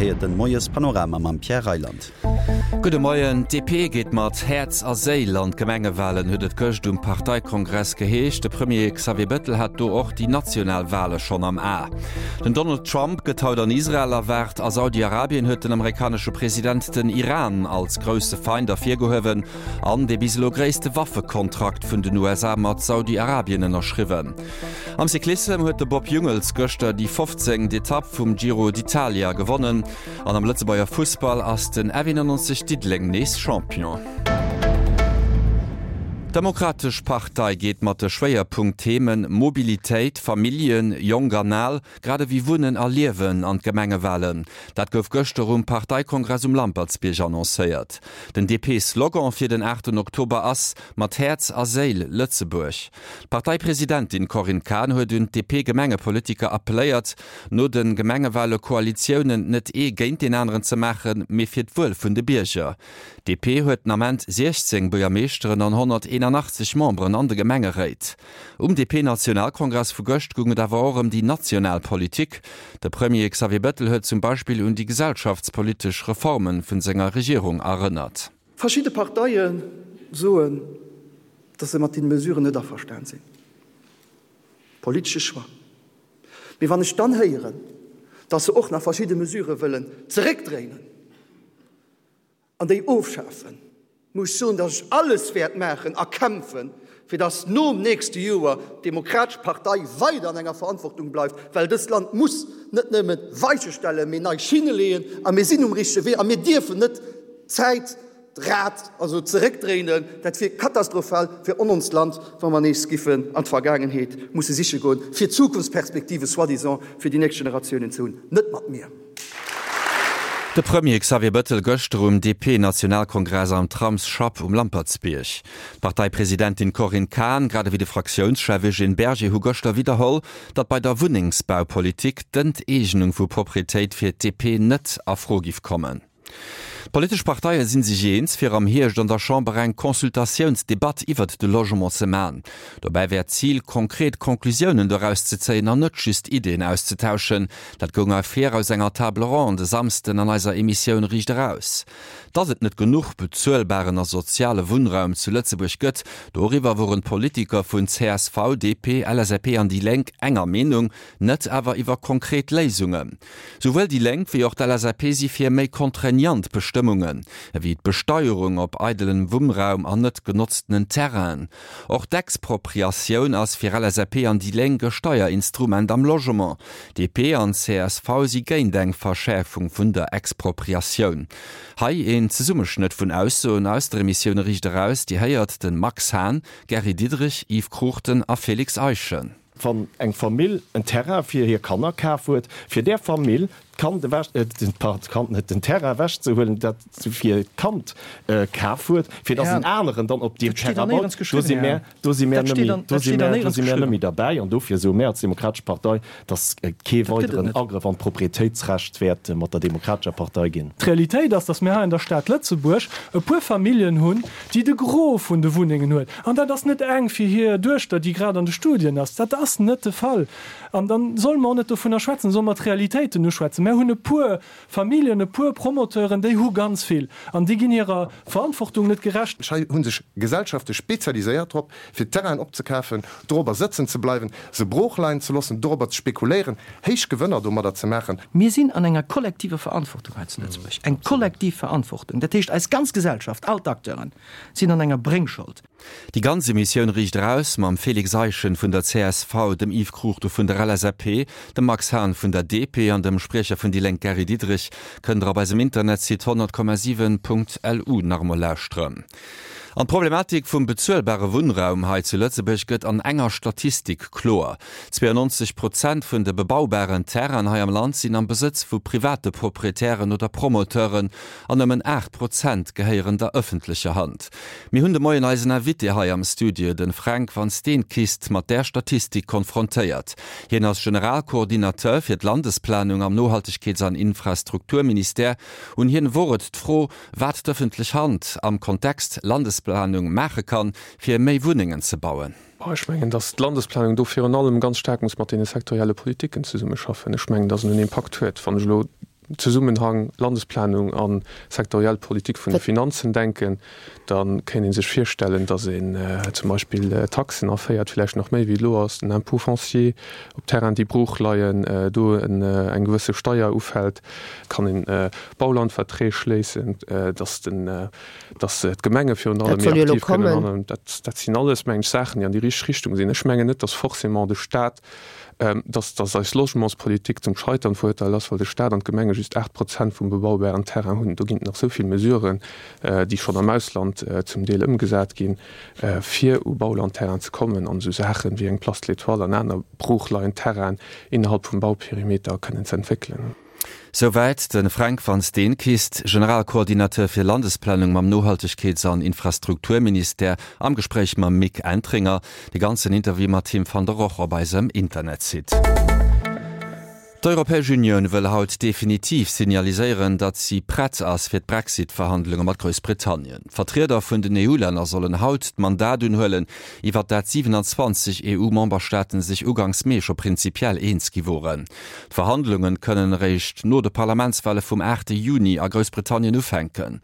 Dir héiert den Moiespanorama mam Pierre Reyland. Gudde Moien. D'DP geet mat Häerz a Séil an d'Gemengewalen, huet et gëscht um Parteikongress geheescht. De Premier Xavier Bettel hat do och déi national Wale schonn am A. Den Donald Trump gëtt haut an Israel erwaart. A Saudi-Arabien huet den amerikanesche President den Iran als grousse Feind ervirgehuewen an dee bis elo gréisste Waffekontrakt vun den USA mat Saudi-Arabien ënnerschriwwen. Am Cyclissem huet de Bob Jungels gëschter déi 15. Etapp vum Giro d'Italia gewonnen. An am Lëtzebuerger Fussball ass den F91 Diddeleng nees Champion. D'Demokratesch Partei geet mat de Schwéierpunkt-Themen Mobilitéit, Familljen, Jonk an Al, grad ewéi Wunnen a Liewen an d'Gemengewalen. Dat gouf gëschter um Parteikongress um Lampertsbierg annoncéiert. Den DP-Slogan fir den aachten Oktober ass Mat Häerz a Séil Lëtzebuerg. D'Parteipresidentin Corinne Cahen huet un d'DP-Gemengepolitiker appelléiert, no de Gemengewale Koalitiounen net ee géint deen aneren ze maachen, mee fir d'Wuel vun de Bierger. D'DP huet den Ament 16 Buergermeeschteren an 181 Memberen an de Gemengeréit. Um DP-Nationalkongress vu gëscht goung et awer och ëm déi national Politik. De Premier Xavier Bettel huet zum Beispill un déi gesellschaftspolitesch Reforme vun senger Regierung erënnert. Verschidde Parteie soen, datt se mat deene Mesuren net averstan sinn. Politesche Choix. Mee wann ech dann héieren, datt se och nach verschidde Mesurë wëllen zeréckdréinen an déi ofschafen, muss ech soen, datt ech alles wäert maachen a kämpfen, fir datt nom nächste Joer d'Demokratesch Partei weider an enger Verantwortung bleift, well dëst Land muss net nëmme Weiche stellen, mee nei Schinne leeën. A mir sinn um richtege Wee a mir dierfen net d'Zäit, d'Rad also zeréckdréinen. Dat wier katastrophal fir ononst Land, wa mer nees giffen an d'Vergaangenheet musse siche goen, fir Zukunftsperspektive soi-disant fir déi nächst Generatiounen ze hunn. Net mat mir! De Premier Xavier Bettel gëschter um DP-Nationalkongress am Tramsschapp um Lampertsbierg. D'Parteipresidentin Corinne Cahen, grad ewéi de Fraktiounschef Eugène Berger hu gëschter widderholl, datt bei der Wunnengsbaupolitik d'Enteegnung vu Proprietéit fir d'DP net a Fro giff kommen. D'politesch Parteie si sech eens, fir am Hierscht an der Chamber eng Consultatiounsdebatt iwwert de Logement ze man. Dobäi wär d'Zil, konkret Conclusiounen doraus ze zéien an net just Iddien auszetauschen. Dat goung ervir aus enger Table ronde e Samsden an eiser Emissioun Riicht Eraus. Datt et net genuch bezuelbaren a soziale Wunnraum zu Lëtzebuerg gëtt, doriwwer woren d'Politiker vun csv, DP, LSAP an déi Lénk enger Meenung, net awer iwwer konkret Léisungen. Souwuel déi Lénk wéi och d'LSAP si fir méi contraignant Bestëmmungen, ewéi d'Besteierung op eidelen Wunnraum an net genotztenen Terrainen. Och d'Expropriatioun ass fir LSAP an déi Lénk e Steierinstrument am Logement. DP an csv si géint eng Verschäerfung vun der Expropriatioun. Hei een Zesummeschnëtt vun Aussoen aus der Emissioun Riicht Eraus. Dir héiert de Max Hahn, Gary Diderich, Yves Cruchten a Félix Eischen. Wann eng Famill en Terrain fir hir Kanner kaf huet, fir där Famill d'Kand ewech, pardon, d'Kand net, den Terrain ewechzehuelen, dat se fir d'Kand kaf huet, fir datt en aneren dann op deem Terrain baut, do si mär, do si mär nëmme, do si mär, do si mär nëmme derbäi. An dofir soe mär als Demokratesch Partei, datt et kee weideren Agrëff an d'Proprietéitsrecht wäert mat der Demokratescher Partei ginn. D'Realitéit ass, datt mir hei an der Stad Lëtzebuerg e puer Familljen hunn, déi de Gros vun de Wunnengen huet. An dat ass net eng fir hir Duechter, déi grad an de Studien ass. Dat ass net de Fall. An da solle mer och net dovunner schwätzen, da solle mer d'Realitéiten uschwätzen. Mär hunn e puer Familljen, e puer Promoteuren, déi hu ganz vill an déi ginn hirer Verantwortung net gerecht. Hei hu sech Gesellschafte spezialiséiert drop, fir Terrainen opzekafen, dorobber sëtzen ze bleiwen, se broochleien ze loossen, dorobber ze spekuléieren, héich Gewënner domadder ze maachen. Mir sinn an enger kollektiver Verantwortung hei zu Lëtzebuerg, eng kollektiv Verantwortung. Dat heescht, eis ganz Gesellschaft, all d'Acteuren sinn an enger Bréngschold. Déi ganz Emissioun Riicht Eraus mam Félix Eischen vun der csv, dem Yves Cruchten vun der LSAP, dem Max Hahn vun der DP an dem Spriecher vun déi Lénk Gary Diderich kënnt der op eisem Internetsite 100,7.lu nach emol lauschteren. An d'Problematik vum bezuelbare Wunnraum hei zu Lëtzebuerg gëtt an enger Statistik kloer, 92 Prozent vun de bebaubaren Terrainen hei am Land sinn am Besëtz vu private Proprietären oder Promoteuren an nëmmen 8 Prozent gehéieren der ëffentlecher Hand. Mir hunn de Moien eisen Invité hei am Studio, de Fränk Van Steenkist, mat där Statistik konfrontéiert. Hien ass Generalcoordinateur fir d'Landesplanung am Nohaltegkeets an Infrastrukturministère. Un hien wor et d'Fro, Wat d'ëffentlech Hand am Kontext Landesplanung maache kann, fir méi Wunnengen ze bauen. Ech mengen, datt d'Landesplanung do virun allem ganz staark muss mat deene sektorielle Politiken zesummeschaffen. Ech mengen, datt en en Impakt huet. Wann ech elo. Zesummenhang Landesplanung a sektoriell Politik vun de Finanzen denken, da kéint ee sech virstellen, datt een zum Beispill Taxen aféiert, villäicht nach méi wéi elo ass, den Impôt foncier op Terrainen, déi brooch leien, do eng gewësse Steier ufält, kann een Baulandverträg schléissen, datt den, datt d'Gemenge virun allem méi aktiv kënnen handeln. Dat sinn alles, mengen ech, Saachen, déi an déi richteg Richtung sinn. Ech mengen net, datt forcément de Stat, datt, datt eis Logementspolitik zum Scheitern verurteilt ass, well de Stat an d'Gemenge just 8 Prozent vum bebaubaren Terrain hunn. Do ginn et nach esou vill Mesuren, déi schonn am Ausland zum Deel ëmgesat ginn, fir u Baulandterrain ze kommen an esou Saachen wéi eng Place de l'Étoile an aner broochleiend Terrainen innerhalb vum Bauperimeter kënnen ze entwéckelen. Souwäit de Fränk Van Steenkist, Generalkoordinateur fir Landesplanung mam Nohaltegkeets an Infrastrukturministère, am Gespréich mam Mick Entringer. De ganzen Interview mat him fannt der och op eisem Internetsite. D'Europäesch Unioun wëll haut definitiv signaliséieren, datt si prett ass fir d'Brexit-Verhandlunge mat Groussbritannien. D'Vertrieder vun den EU-Länner sollen haut d'Mandat unhuelen, iwwer dat 27 EU-Memberstaaten sech uganks Mee scho prinzipiell eens gi woren. D'Verhandlunge kënnen eréischt no de Parlamentswale vum 8 Juni a Groussbritannien ufänken.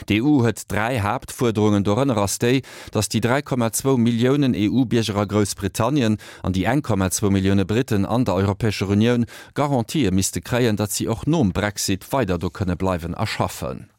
D'EU huet 3 Haaptfuerderungen, dorënner ass déi, datt déi 3,2 Milliounen EU-Bierger a Groussbritannien an déi 1,2 Millioune Britten an der Europäescher Unioun Garantië misste kréien, datt si och nom Brexit weider do kënne bleiwen a schaffen.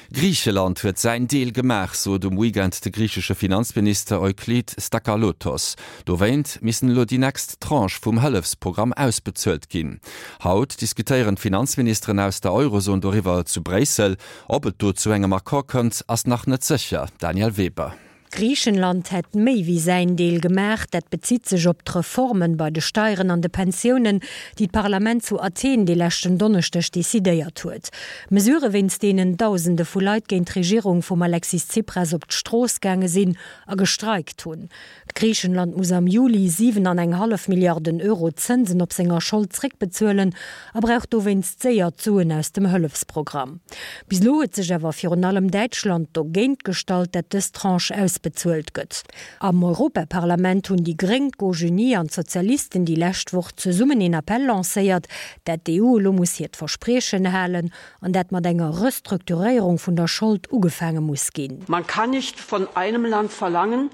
Griicheland huet säin Deel gemaach, sot um Weekend de griichesche Finanzminister Euklid Stakalotos. Dowéint missten elo déi nächst Tranche vum Hëllefsprogramm ausbezuelt ginn. Haut diskutéieren d'Finanzministeren aus der Eurozon doriwwer zu Bréissel. Ob et do zu engem Accord kënnt, ass nach net sécher. Danièle Weber. Griichenland hätt méi wéi säin Deel gemaach. Dat bezitt sech op d'Reformen bei de Steieren an de Pensiounen, déi d'Parlament zu Athen dee leschten Donneschdeg decidéiert huet. Mesurë wéinst deenen Dausende vu Leit géint d'Regierung vum Alexis Tsipras op d'Strooss gaange sinn a gestreikt hunn. Griichenland muss am Juli 7 an eng hallef Milliarden Euro Zënsen op senger Schold zréckbezuelen a brauch dowéinst séier d'Suen aus dem Hëllefsprogramm. Bis elo huet sech awer virun allem Däitschland dogéint gestallt, dat dës Tranche ausbezuelt gëtt. Am Europaparlament hunn déi Gréng, d'Gauche unie an d'Sozialisten déi lescht Woch zesummen een Appell lancéiert, dat d'EU elo muss hiert Verspriechen halen an dat mat enger Restrukturéierung vun der Schold ugefaange muss ginn. Man kann nicht von einem Land verlangen,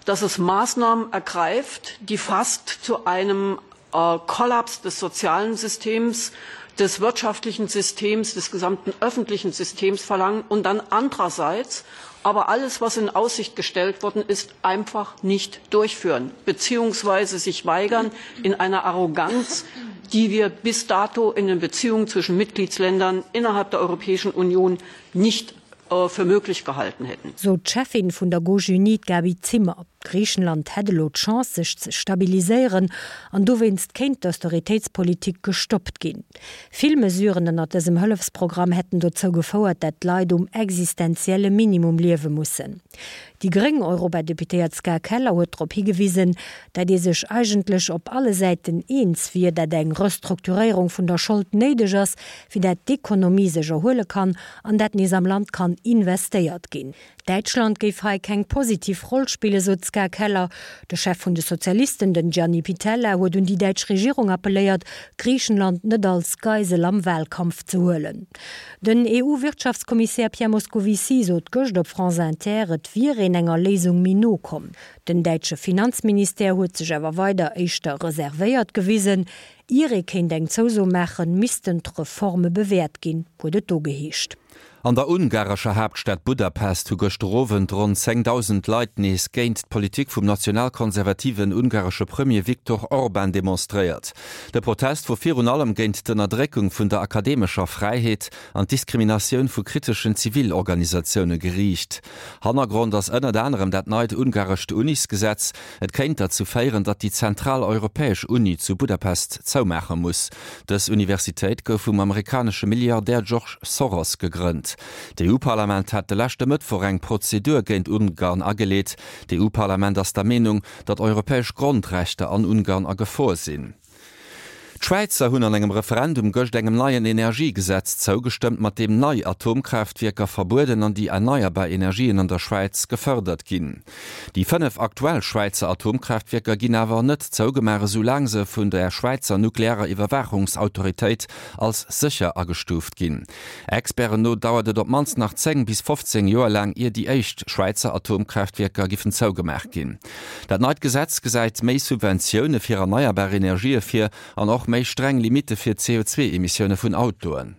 dass es Maßnahmen ergreift, die fast zu einem äh, Kollaps des sozialen Systems, des wirtschaftlichen Systems, des gesamten öffentlichen Systems verlangen und dann andererseits aber alles, was in Aussicht gestellt worden ist, einfach nicht durchführen beziehungsweise sich weigern in einer Arroganz, die wir bis dato in den Beziehungen zwischen Mitgliedsländern innerhalb der Europäischen Union nicht äh, für möglich gehalten hätten. Sot d'Cheffin vun der Gauche unie, d'Gaby Zimmer. Griichenland hätt elo d'Chance sech ze stabiliséieren an dowéinst kéint d'Austeritéitspolitik gestoppt ginn. Vill Mesuren ënnert dësem Hëllefsprogramm hätten dozou gefouert, dat d'Leit um existenzielle Minimum liewe mussen. Déi gréng Europadeputéiert Ska Keller huet drop higewisen, dat ee sech eigentlech op alle Säiten eens wier, dat eng Restrukturéierung vun der Schold néideg ass, fir dat d'Ekonomie sech erhuele kann an dat nees am Land kann investéiert ginn. Däitschland géif hei keng positiv Roll spillen, sot d'Ska Keller. De Chef vun de Sozialisten, den Gianni Pittella, huet un déi däitsch Regierung appelléiert, Griichenland net als Geisel am Wahlkampf ze huelen. Den EU-Wirtschaftskommissär Pierre Moscovici sot gëscht op France Inter, et wier een enger Léisung méi no komm. Den däitsche Finanzministère huet sech awer weider éischter reservéiert gewisen. Ier ee kéint eng Zouso maachen, missten d'Reforme bewäert ginn, huet et do geheescht. An der ungarescher Haaptstad Budapest hu gëschter Owend ronn 10.000 Leit nees géint d'Politik vum nationalkonservativen ungaresche Premier Viktor Orban demonstréiert. De Protest wor virun allem géint d'Ënnerdréckung vun der akademescher Fräiheet an d'Diskriminatioun vu kriteschen Zivilorganisatioune geriicht. Hannergrond ass ënnert anerem dat neit ungarescht Unisgesetz. Et kéint derzou féieren, datt déi zentraleuropäesch Uni zu Budapest zoumaache muss. Dës Universitéit gouf vum amerikanesche Milliardär George Soros gegrënnt. D'EU-Parlament hat de leschte Mëttwoch eng Prozedur géint Ungarn ageleet. D'EU-Parlament ass der Meenung, datt europäesch Grondrechter an Ungarn a Gefor sinn. D'Schwäizer hunn an engem Referendum gëscht engem neien Energiegesetz zougestëmmt, mat deem nei Atomkraaftwierker verbueden an déi erneierbar Energien an der Schwäiz gefërdert ginn. Déi 5 aktuell Schwäizer Atomkraaftwierker ginn awer net zougemaach, esou laang se vun der Schwäizer nuklearer Iwwerwaachungsautoritéit als sécher agestuuft ginn. Experten no dauert et op d'mannst nach 10 bis 15 Joer laang, ier déi éischt Schwäizer Atomkraaftwierker giffen zougemaach ginn. Dat neit Gesetz gesäit méi Subventioune fir erneierbar Energië vir an och méi streng Limitte fir d'CO2-Emissioune vun Autoen.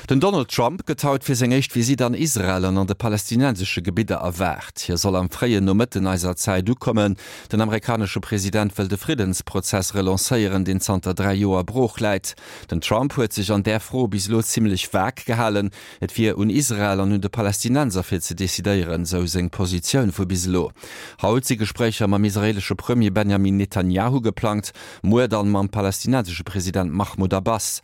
Den Donald Trump gëtt haut fir seng éischt Visitt an Israel an an de palästinensesche Gebidder erwaart. Hie soll am fréien Nomëtten eiser Zäit ukommen. Den amerikanesche President wëll de Friddensprozess relancéieren, deen zanter 3 Joer brooch läit. Den Trump huet sech an där Fro bis elo zimmlech vag gehalen. Et wier un Israel an un de Palästinenser fir ze decidéieren, sou seng Positioun vu bis elo. Haut si Gespréicher mam israeelesche Premier Benjamin Netanjahu geplangt, muer dann mam palästinensesche President Mahmoud Abbas.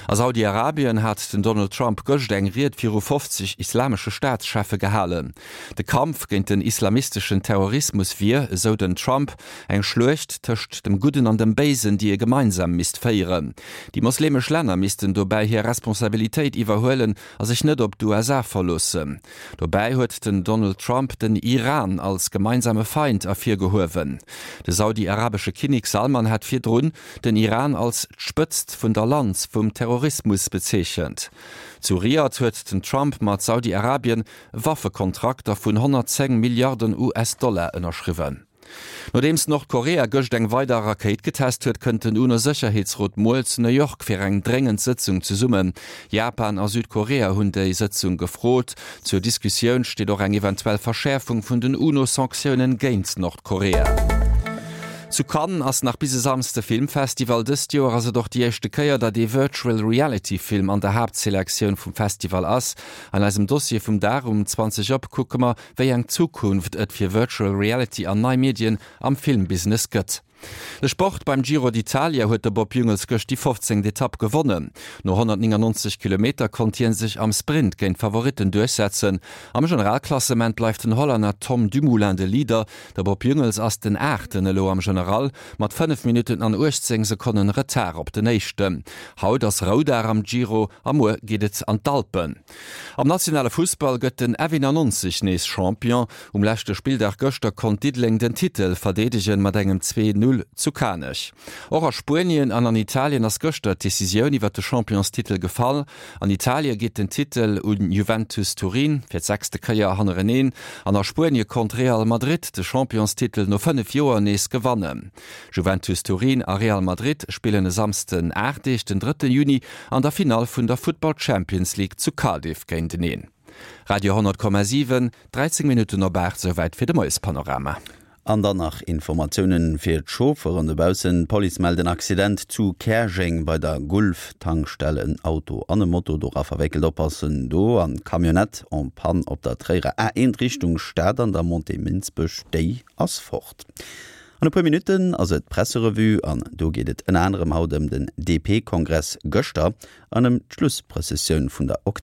A Saudi-Arabien hat den Donald Trump gëscht eng Ried viru 50 islamesche Staatscheffe gehalen. De Kampf géint den islamisteschen Terrorismus wier, esou den Trump, eng Schluecht tëscht dem Gudden an dem Béisen, déi ee gemeinsam misst féieren. Déi mosleemesch Länner missten dobäi hir Responsabilitéit iwwerhuelen a sech net op d'USA verloossen. Dobäi huet den Donald Trump den Iran als gemeinsame Feind ervirgehuewen. De saudi-arabesche Kinnek Salman hat virdrun den Iran als d'Spëtzt vun der Lanz vum Terrorismus bezeechent. Zu Riad huet den Trump mat Saudi-Arabien Waffekontrakter vun 110 Milliarden US-Dollar ënnerschriwwen. Nodeems Nordkorea gëscht eng weider Rakéit getest huet, kënnt den UNO-Sécherheetsrot muer zu New York fir eng dréngend Sëtzung zesummen. Japan a Südkorea hunn déi Sëtzung gefrot. Zur Diskussioun steet och eng eventuell Verschäerfung vun den UNO-Sanktiounen géint Nordkorea. Zu Cannes ass nach bis e Samsde Filmfestival. Dëst Joer ass et och déi éischte Kéier, datt ee Virtual Reality Film an der Haaptselektioun vum Festival ass. An eisem Dossier vum Dag um 20 op kucke mer, wéi eng Zukunft et fir Virtual Reality an nei Medien am Filmbusiness gëtt. De Sport, Beim Giro d'Italia huet de Bob Jungels gëscht déi 15. Etapp gewonnen. No 199 Kilometer konnt hie sech am Sprint géint d'Favoritten duerchsetzen. Am Generalklassement bleift den Hollänner Tom Dumoulin de Leader. De Bob Jungels ass den Aachten elo am General mat 5 Minutten an 18 Sekonnen Retard op den Éischten. Haut ass Roudag am Giro a muer geet et an d'Alpen. Am nationale Fussball gëtt den F91 nees Champion. Um leschte Spilldag gëschter konnt Diddeleng den Titel verdeedegen mat engem 2, 0 zu Kanech. Och a Spuenien an an Italien ass gëschter d'Decisioun iwwer de Championstitel gefall. An Italie geet den Titel un Juventus Turin fir d'sechste Kéier hannereneen an a Spuenie konnt Real Madrid de Championstitel no 5 Joer nees gewannen. Juventus Turin a Real Madrid spillen e Samsden 8 Deeg, den drëtte Juni, an der Finall vun der Futtball Champions League zu Cardiff géinteneen. Radio 10,7, 13 Minutten op 8, souwäit fir de Moiespanorama. An dann nach Informatiounen fir d'Chaufferen dobaussen. D'Police mellt en Accident zu Käerjeng bei der Gulf-Tankstell. En Auto an e Moto dora verwéckelt. Oppassen do an Camionnette en panne op der Tréierer A1 Richtung Stad an der Montée Minsbech, déi ass fort. An e puer Minutten ass et d'Presserevue an do geet et ënner anerem haut ëm den DP-Kongress gëschter an ëm d'Schlussprëssessioun vun der.